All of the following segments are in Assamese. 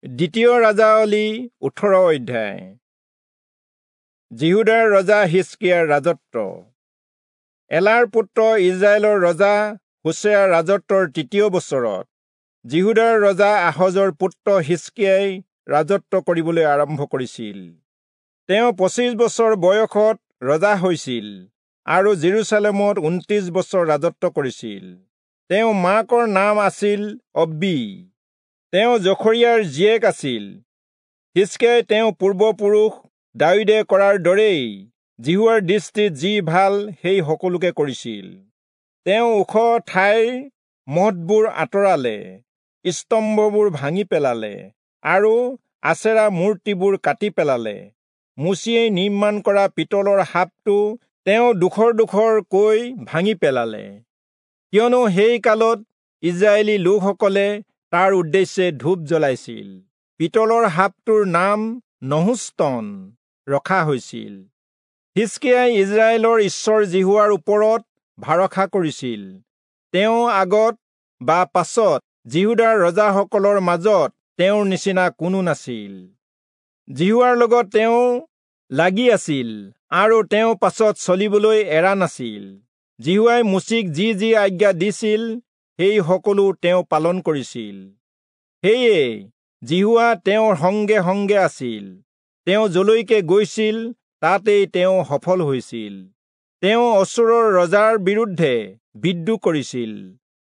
দ্বিতীয় ৰাজাৱলী 18 অধ্যায়। যিহূদাৰ ৰজা হিষ্কিয়াৰ ৰাজত্ব। এলাৰ পুত্ৰ ইজৰাইলৰ ৰজা হোচেয়াৰ ৰাজত্বৰ তৃতীয় বছৰত যিহূদাৰ ৰজা আহজৰ পুত্ৰ হিষ্কিয়াই ৰাজত্ব কৰিবলৈ আৰম্ভ কৰিছিল। তেওঁ 25 বছৰ বয়সত ৰজা হৈছিল আৰু জেৰুচালেমত 29 বছৰ ৰাজত্ব কৰিছিল। তেওঁ মাকৰ নাম আছিল অব্বী, তেওঁ জখৰিয়াৰ জীয়েক আছিল। হিষ্কিয়াই তেওঁ পূৰ্বপুৰুষ দায়ূদে কৰাৰ দৰেই যিহোৱাৰ দৃষ্টিত যি ভাল সেই সকলোকে কৰিছিল। তেওঁ ওখ ঠাইৰ মঠবোৰ আঁতৰালে, স্তম্ভবোৰ ভাঙি পেলালে আৰু আচেৰা মূৰ্তিবোৰ কাটি পেলালে। মোচিয়ে নিৰ্মাণ কৰা পিতলৰ সাপটো তেওঁ ডোখৰ ডোখৰকৈ ভাঙি পেলালে, কিয়নো সেই কালত ইজৰাইলী লোকসকলে তাৰ উদ্দেশ্যে ধূপ জ্বলাইছিল। পিতলৰ সাপটোৰ নাম নহুষ্টন ৰখা হৈছিল। হিষ্কিয়াই ইজৰাইলৰ ঈশ্বৰ যিহোৱাৰ ওপৰত ভৰসা কৰিছিল। তেওঁ আগত বা পাছত যিহূদাৰ ৰজাসকলৰ মাজত তেওঁৰ নিচিনা কোনো নাছিল। যিহোৱাৰ লগত তেওঁ লাগি আছিল আৰু তেওঁ পাছত চলিবলৈ এৰা নাছিল। যিহোৱাই মোচিক যি যি আজ্ঞা দিছিল সেই সকলো তেওঁ পালন কৰিছিল। সেয়ে যিহোৱা তেওঁৰ সংগে সংগে আছিল। তেওঁ যলৈকে গৈছিল তাতেই তেওঁ সফল হৈছিল। তেওঁ অচূৰৰ ৰজাৰ বিৰুদ্ধে বিদ্ৰোহ কৰিছিল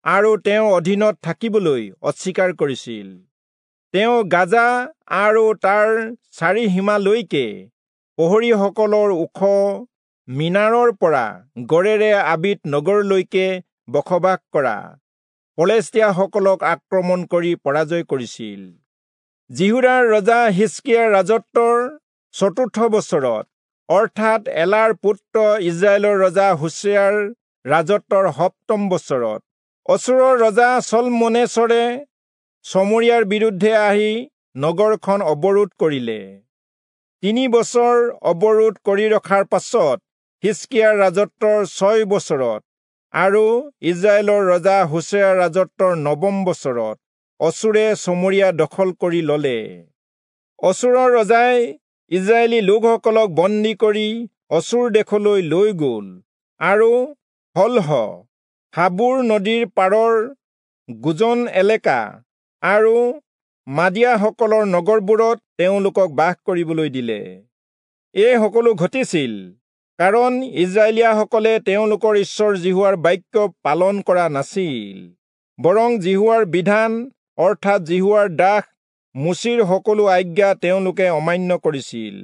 আৰু তেওঁৰ অধীনত থাকিবলৈ অস্বীকাৰ কৰিছিল। তেওঁ গাজা আৰু তাৰ চাৰিসীমালৈকে প্ৰহৰীসকলৰ ওখ মিনাৰৰ পৰা গড়েৰে আবিত নগৰলৈকে বসবাস কৰা পলেষ্টীয়াসকলক আক্ৰমণ কৰি পৰাজয় কৰিছিল। যিহূদাৰ ৰজা হিষ্কিয়াৰ ৰাজত্বৰ চতুৰ্থ বছৰত, অৰ্থাৎ এলাৰ পুত্ৰ ইজৰাইলৰ ৰজা হোচেয়াৰ ৰাজত্বৰ সপ্তম বছৰত, অচূৰৰ ৰজা চলমনেচৰে চমৰীয়াৰ বিৰুদ্ধে আহি নগৰখন অৱৰোধ কৰিলে। 3 বছৰ অৱৰোধ কৰি ৰখাৰ পাছত হিষ্কিয়াৰ ৰাজত্বৰ 6 বছৰত আৰু ইজৰাইলৰ ৰজা হোচেয়াৰ ৰাজত্বৰ নৱম বছৰত অচূৰে চমৰীয়া দখল কৰি ললে। অচূৰৰ ৰজাই ইজৰাইলী লোকসকলক বন্দী কৰি অচূৰ দেশলৈ লৈ গল আৰু হলহ, হাবুৰ নদীৰ পাৰৰ গোজন এলেকা আৰু মাদিয়াসকলৰ নগৰবোৰত তেওঁলোকক বাস কৰিবলৈ দিলে। এই সকলো ঘটিছিল কাৰণ ইজৰাইলীয়াসকলে তেওঁলোকৰ ঈশ্বৰ যিহোৱাৰ বাক্য পালন কৰা নাছিল, বৰং যিহোৱাৰ বিধান অৰ্থাৎ যিহোৱাৰ দাস মোচিৰ সকলো আজ্ঞা তেওঁলোকে অমান্য কৰিছিল।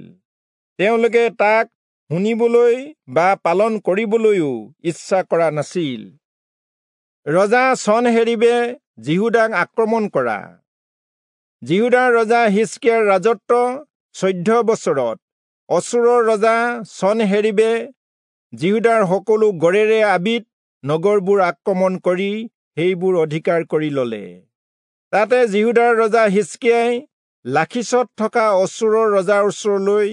তেওঁলোকে তাক শুনিবলৈ বা পালন কৰিবলৈও ইচ্ছা কৰা নাছিল। ৰজা চনহেৰীবে যিহূদাক আক্ৰমণ কৰা। যিহূদাৰ ৰজা হিষ্কিয়াৰ ৰাজত্ব 14 বছৰত অচূৰৰ ৰজা চনহেৰীবে যিহূদাৰ সকলো গড়েৰে আবিত নগৰবোৰ আক্ৰমণ কৰি সেইবোৰ অধিকাৰ কৰি ললে। তাতে যিহূদাৰ ৰজা হিষ্কিয়াই লাখীচত থকা অচূৰৰ ৰজাৰ ওচৰলৈ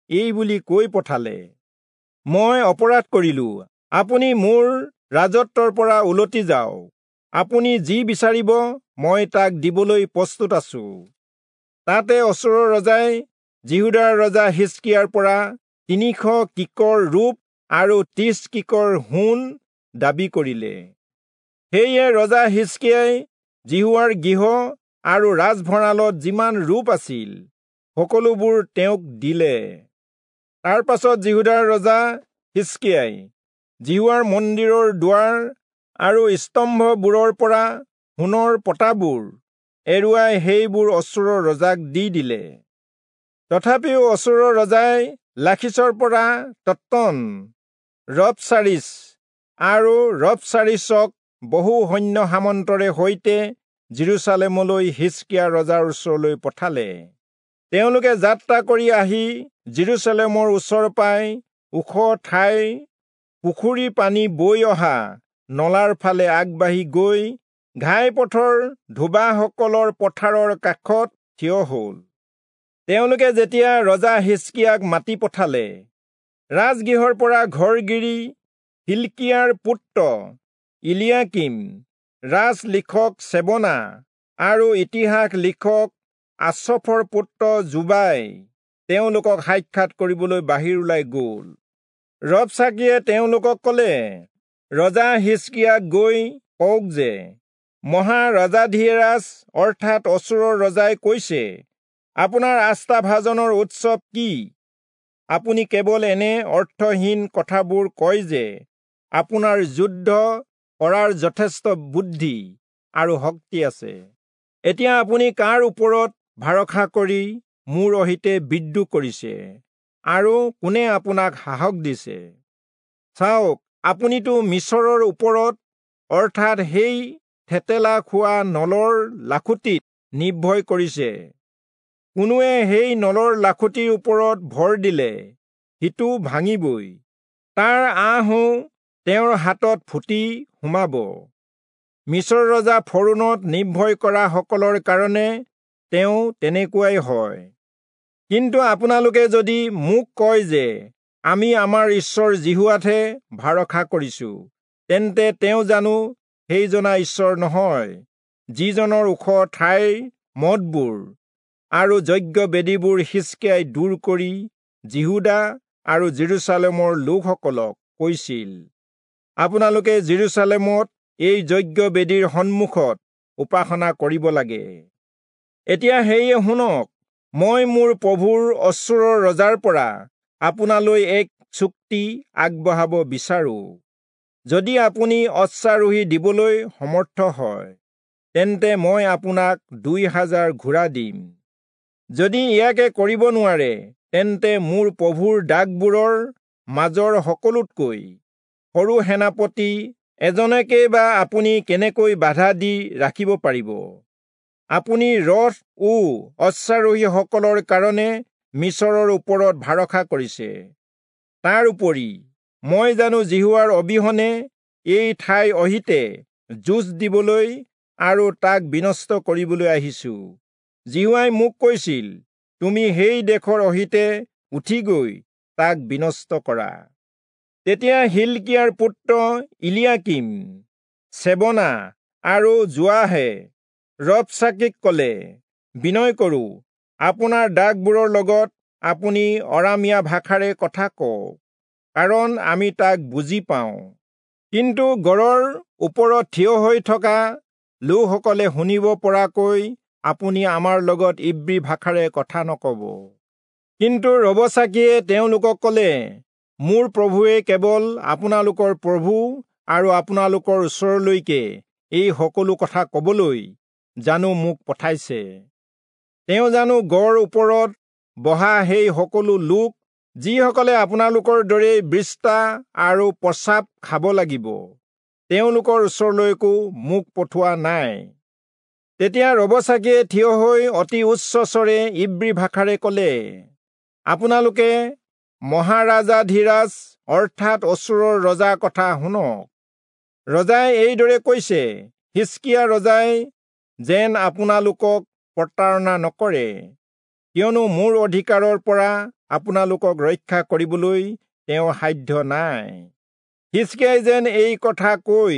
এই বুলি কৈ পঠালে, মই অপৰাধ কৰিলো, আপুনি মোৰ ৰাজত্বৰ পৰা উলটি যাওক। আপুনি যি বিচাৰিব মই তাক দিবলৈ প্ৰস্তুত আছো। তাতে অচূৰৰ ৰজাই যিহূদাৰ ৰজা হিষ্কিয়াৰ পৰা 300 কিকৰ ৰূপ আৰু 30 কিকৰ সোণ দাবী কৰিলে। সেয়ে ৰজা হিষ্কিয়াই যিহোৱাৰ গৃহ আৰু ৰাজভঁৰালত যিমান ৰূপ আছিল সকলোবোৰ তেওঁক দিলে। তাৰ পাছত যিহূদাৰ ৰজা হিষ্কিয়াই যিহোৱাৰ মন্দিৰৰ দুৱাৰ আৰু স্তম্ভবোৰৰ পৰা সোণৰ পতাবোৰ এৰুৱাই সেইবোৰ অচূৰৰ ৰজাক দি দিলে। তথাপিও অচূৰৰ ৰজাই লাখীচৰ পৰা তত্তন, ৰবচাৰিচ আৰু ৰবচাৰিচক বহু সৈন্য সামন্তৰে সৈতে জেৰুচালেমলৈ হিষ্কিয়া ৰজাৰ ওচৰলৈ পঠালে। তেওঁলোকে যাত্ৰা কৰি আহি জেৰুচালেমৰ ওচৰ পাই ওখ ঠাইৰ পুখুৰী পানী বৈ অহা নলাৰ ফালে আগবাঢ়ি গৈ ঘাইপথৰ ধোবাসকলৰ পথাৰৰ কাষত থিয় হল। তেওঁলোকে যেতিয়া ৰজা হিষ্কিয়াক মাতি পঠালে, ৰাজগৃহৰ পৰা ঘৰগিৰি হিল্কিয়াৰ পুত্ৰ ইলিয়াকিম, ৰাজলিখক চেবনা আৰু ইতিহাস লিখক আচফৰ পুত্ৰ যোবাই তেওঁলোকক সাক্ষাৎ কৰিবলৈ বাহিৰ ওলাই গ'ল। ৰবচাকিয়ে তেওঁলোকক ক'লে, ৰজা হিষ্কিয়াক গৈ কওক যে মহাৰাজাধিৰাজ অৰ্থাৎ অচূৰৰ ৰজাই কৈছে, আপোনাৰ আস্থাভাজনৰ উৎসৱ কি? আপুনি কেৱল এনে অৰ্থহীন কথাবোৰ কয় যে আপোনাৰ যুদ্ধ কৰাৰ যথেষ্ট বুদ্ধি আৰু শক্তি আছে। এতিয়া আপুনি কাৰ ওপৰত ভৰসা কৰি মোৰ অহিতে বিদ্ৰোহ কৰিছে আৰু কোনে আপোনাক সাহস দিছে? চাওক, আপুনিতো মিচৰৰ ওপৰত অৰ্থাৎ সেই থেতেলা খোৱা নলৰ লাখুটিত নিৰ্ভয় কৰিছে। কোনোৱে সেই নলৰ লাখুটিৰ ওপৰত ভৰ দিলে সিটো ভাঙিবই, তাৰ আঁহো তেওঁৰ হাতত ফুটি সোমাব। মিচৰ ৰজা ফৰোণত নিৰ্ভয় কৰা সকলৰ কাৰণে তেওঁ তেনেকুৱাই হয়। কিন্তু আপোনালোকে যদি মোক কয় যে আমি আমাৰ ঈশ্বৰ যিহোৱাতহে ভৰসা কৰিছো, তেন্তে তেওঁ জানো সেইজনা ঈশ্বৰ নহয়, যিজনৰ ওখ ঠাইৰ মঠবোৰ আৰু যজ্ঞ বেদীবোৰ হিষ্কিয়াই দূৰ কৰি যিহূদা আৰু জেৰুচালেমৰ লোকসকলক কৈছিল, আপোনালোকে জেৰুচালেমত এই যজ্ঞ বেদীৰ সন্মুখত উপাসনা কৰিব লাগে। এতিয়া সেয়ে শুনক, মই মোৰ প্ৰভুৰ অচূৰৰ ৰজাৰ পৰা আপোনালৈ এক চুক্তি আগবঢ়াব বিচাৰো। যদি আপুনি অশ্বাৰোহী দিবলৈ সমৰ্থ হয়, তেন্তে মই আপোনাক 2000 ঘোঁৰা দিম। যদি ইয়াকে কৰিব নোৱাৰে, তেন্তে মোৰ প্ৰভুৰ দাসবোৰৰ মাজৰ সকলোতকৈ সৰু সেনাপতি এজনকে বা আপুনি কেনেকৈ বাধা দি ৰাখিব পাৰিব? আপুনি ৰথ ও অশ্বাৰোহীসকলৰ কাৰণে মিচৰৰ ওপৰত ভৰসা কৰিছে। তাৰ উপৰি মই জানো যিহোৱাৰ অবিহনে এই ঠাই অহিতে যুঁজ দিবলৈ আৰু তাক বিনষ্ট কৰিবলৈ আহিছো। যিহোৱাই মোক কৈছিল, তুমি সেই দেশৰ অহিতে উঠি গৈ তাক বিনষ্ট কৰা। তেতিয়া হিলকিয়াৰ পুত্ৰ ইলিয়াকিম, চেবনা আৰু যোৱাহে ৰবচাকিক ক'লে, বিনয় কৰোঁ, আপোনাৰ দাসবোৰৰ লগত আপুনি অৰামীয়া ভাষাৰে কথা কওক, কাৰণ আমি তাক বুজি পাওঁ। কিন্তু গড়ৰ ওপৰত থিয় হৈ থকা লোকসকলে শুনিব পৰাকৈ আপুনি আমাৰ লগত ইব্ৰী ভাষাৰে কথা নকব। কিন্তু ৰবচাকিয়ে তেওঁলোকক ক'লে, মোৰ প্ৰভুৱে কেৱল আপোনালোকৰ প্ৰভু আৰু আপোনালোকৰ ওচৰলৈকে এই সকলো কথা কবলৈ জানো মোক পঠাইছে? তেওঁ জানো গড় ওপৰত বহা সেই সকলো লোক, যিসকলে আপোনালোকৰ দৰেই বৃষ্টা আৰু প্ৰস্ৰাৱ খাব লাগিব, তেওঁলোকৰ ওচৰলৈকো মোক পঠোৱা নাই। তেতিয়া ৰবচাকিয়ে থিয় হৈ অতি উচ্চস্বৰে ইব্ৰী ভাষাৰে ক'লে, আপোনালোকে মহাৰাজাধিৰাজ অৰ্থাৎ অচূৰৰ ৰজাৰ কথা শুনক। ৰজাই এইদৰে কৈছে, হিষ্কিয়া ৰজাই যেন আপোনালোকক প্ৰতাৰণা নকৰে, কিয়নো মোৰ অধিকাৰৰ পৰা আপোনালোকক ৰক্ষা কৰিবলৈ তেওঁৰ সাধ্য নাই। হিষ্কিয়াই যেন এই কথা কৈ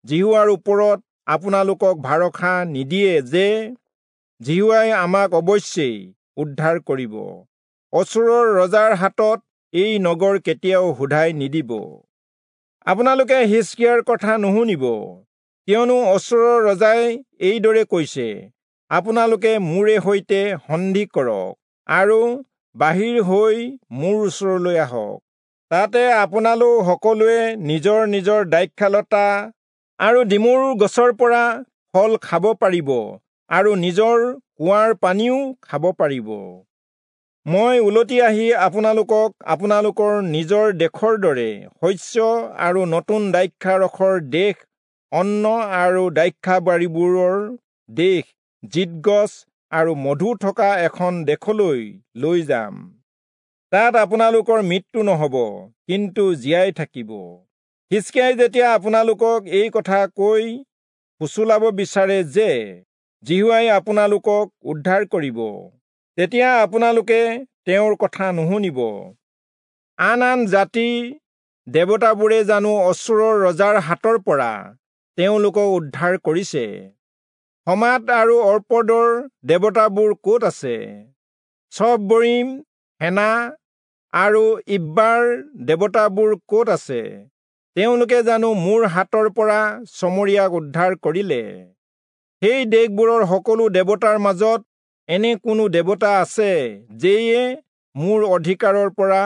যিহোৱাৰ ওপৰত আপোনালোকক ভৰসা নিদিয়ে যে যিহোৱাই আমাক অৱশ্যেই উদ্ধাৰ কৰিব, অচূৰৰ ৰজাৰ হাতত এই নগৰ কেতিয়াও সোধাই নিদিব। আপোনালোকে হিষ্কিয়াৰ কথা নুশুনিব, কিয়নো অচূৰৰ ৰজাই এইদৰে কৈছে, আপোনালোকে মোৰে সৈতে সন্ধি কৰক আৰু বাহিৰ হৈ মোৰ ওচৰলৈ আহক। তাতে আপোনালোক সকলোৱে নিজৰ নিজৰ দ্ৰাক্ষালতা আৰু ডিমৰু গছৰ পৰা ফল খাব পাৰিব আৰু নিজৰ কুঁৱাৰ পানীও খাব পাৰিব। মই উলটি আহি আপোনালোকক আপোনালোকৰ নিজৰ দেশৰ দৰে শস্য আৰু নতুন দ্ৰাক্ষাৰসৰ দেশ, অন্ন আৰু দ্ৰাক্ষাবাৰীবোৰৰ দেশ, জিতগছ আৰু মধু থকা এখন দেশলৈ লৈ যাম। তাত আপোনালোকৰ মৃত্যু নহব, কিন্তু জীয়াই থাকিব। হিষ্কিয়াই যেতিয়া আপোনালোকক এই কথা কৈ ফুচুলাব বিচাৰে যে যিহোৱাই আপোনালোকক উদ্ধাৰ কৰিব, তেতিয়া আপোনালোকে তেওঁৰ কথা নুশুনিব। আন আন জাতিৰ দেৱতাবোৰে জানো অচূৰৰ ৰজাৰ হাতৰ পৰা তেওঁলোকক উদ্ধাৰ কৰিছে? হমাত আৰু অৰ্পদৰ দেৱতাবোৰ ক'ত আছে? চফবৰীম, হেনা আৰু ইব্বাৰ দেৱতাবোৰ ক'ত আছে? তেওঁলোকে জানো মোৰ হাতৰ পৰা চমৰীয়াক উদ্ধাৰ কৰিলে? সেই দেশবোৰৰ সকলো দেৱতাৰ মাজত এনে কোনো দেৱতা আছে যিয়ে মোৰ অধিকাৰৰ পৰা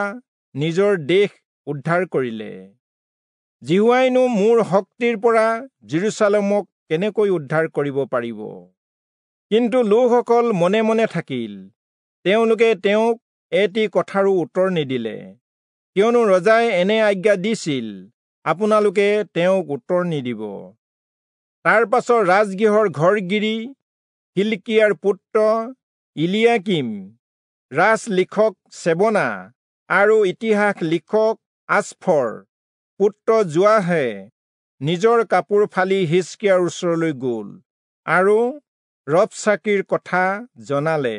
নিজৰ দেশ উদ্ধাৰ কৰিলে? যিহোৱাইনো মোৰ শক্তিৰ পৰা যিৰূচালেমক কেনেকৈ উদ্ধাৰ কৰিব পাৰিব? কিন্তু লোকসকল মনে মনে থাকিল, তেওঁলোকে তেওঁক এটি কথাৰো উত্তৰ নিদিলে, কিয়নো ৰজাই এনে আজ্ঞা দিছিল, আপোনালোকে তেওঁক উত্তৰ নিদিব। তাৰ পাছত ৰাজগৃহৰ ঘৰগিৰি হিলকিয়াৰ পুত্ৰ ইলিয়াকীম, ৰাজলিখক চেবনা আৰু ইতিহাস লিখক আচফৰ পুত্ৰ যোৱাহে নিজৰ কাপোৰ ফালি হিজকিয়াৰ ওচৰলৈ গ'ল আৰু ৰবচাকীৰ কথা জনালে।